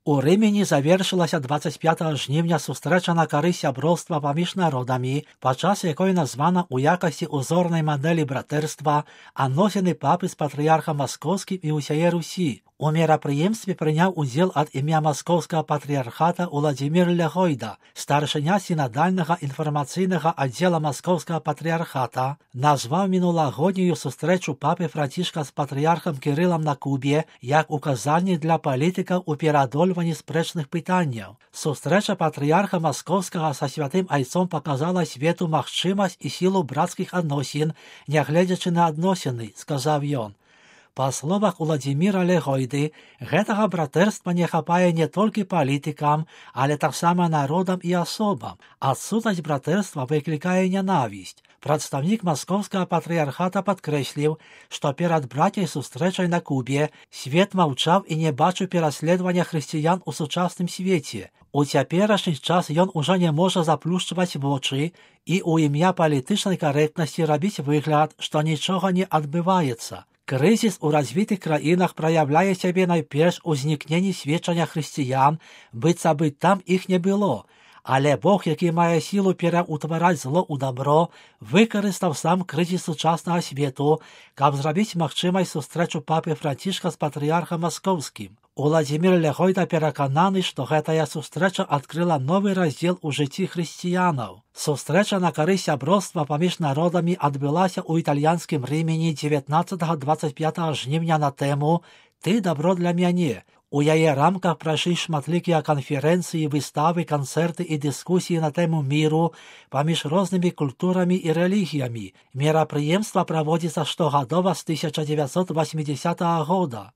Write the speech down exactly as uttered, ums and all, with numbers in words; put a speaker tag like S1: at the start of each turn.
S1: У Рымені завершылася двадцать пятага жніўня сустрэча на карысць сяброўства паміж народамі, падчас якой названа ў якасці узорнай мадэлі братэрства адносіны папы з патрыярхам маскоўскім і ўсяе Русі. У мерапрыемстве прыняў удзел ад імя маскоўскага патрыярхата Уладзімір Лягойда, старшыня сінадальнага інфармацыйнага аддзела маскоўскага патрыярхата, назваў мінулагоднюю сустрэчу папы Францішка з патрыярхам Кірылам на Кубе як указальнік для палітыкаў у пераадольванні спрэчных пытанняў. Сустрэча патрыярха маскоўскага са святым айцом паказала свету магчымасць і сілу брацкіх адносін, нягледзячы на адносіны, сказаў ён. Па словах Уладзіміра Лягойды, гэтага братэрства не хапае не толькі палітыкам, але таксама народам і асобам. Адсутнасць братэрства выклікае нянавісць. Прадстаўнік маскоўскага патрыярхата падкрэсліў, што перад брацяй сустрэчай на Кубе свет маўчаў і не бачыў пераследавання хрысціян у сучасным свеце. У цяперашні час ён ужо не можа заплюшчваць вочы і ў імя палітычнай карэктнасці рабіць выгляд, што нічога не адбываецца. Крызіс у развітых краінах праяўляе сябе найперш у знікненні сведчання хрысціян, быццам бы там іх не было. Але Бог, які мае сілу пераўтвараць зло ў дабро, выкарыстаў сам крызіс сучаснага свету, каб зрабіць магчымай сустрэчу папы Францішка з патрыярхам маскоўскім. Уладзімір Лягойда перакананы, што гэтая сустрэча адкрыла новы раздзел у жыцці хрысціянаў. Сустрэча на карысць сяброўства паміж народамі адбылася ў італьянскім Рымені дзевятнаццатага - двадцать пятага жніўня на тэму «Ты дабро для мяне». У яе рамках прайшлі шматлікія канферэнцыі, выставы, канцэрты і дыскусіі на тэму міру паміж рознымі культурамі і рэлігіямі. Мерапрыемства праводзіцца штогадова з тысяча дзевяцьсот восьмідзесятага года.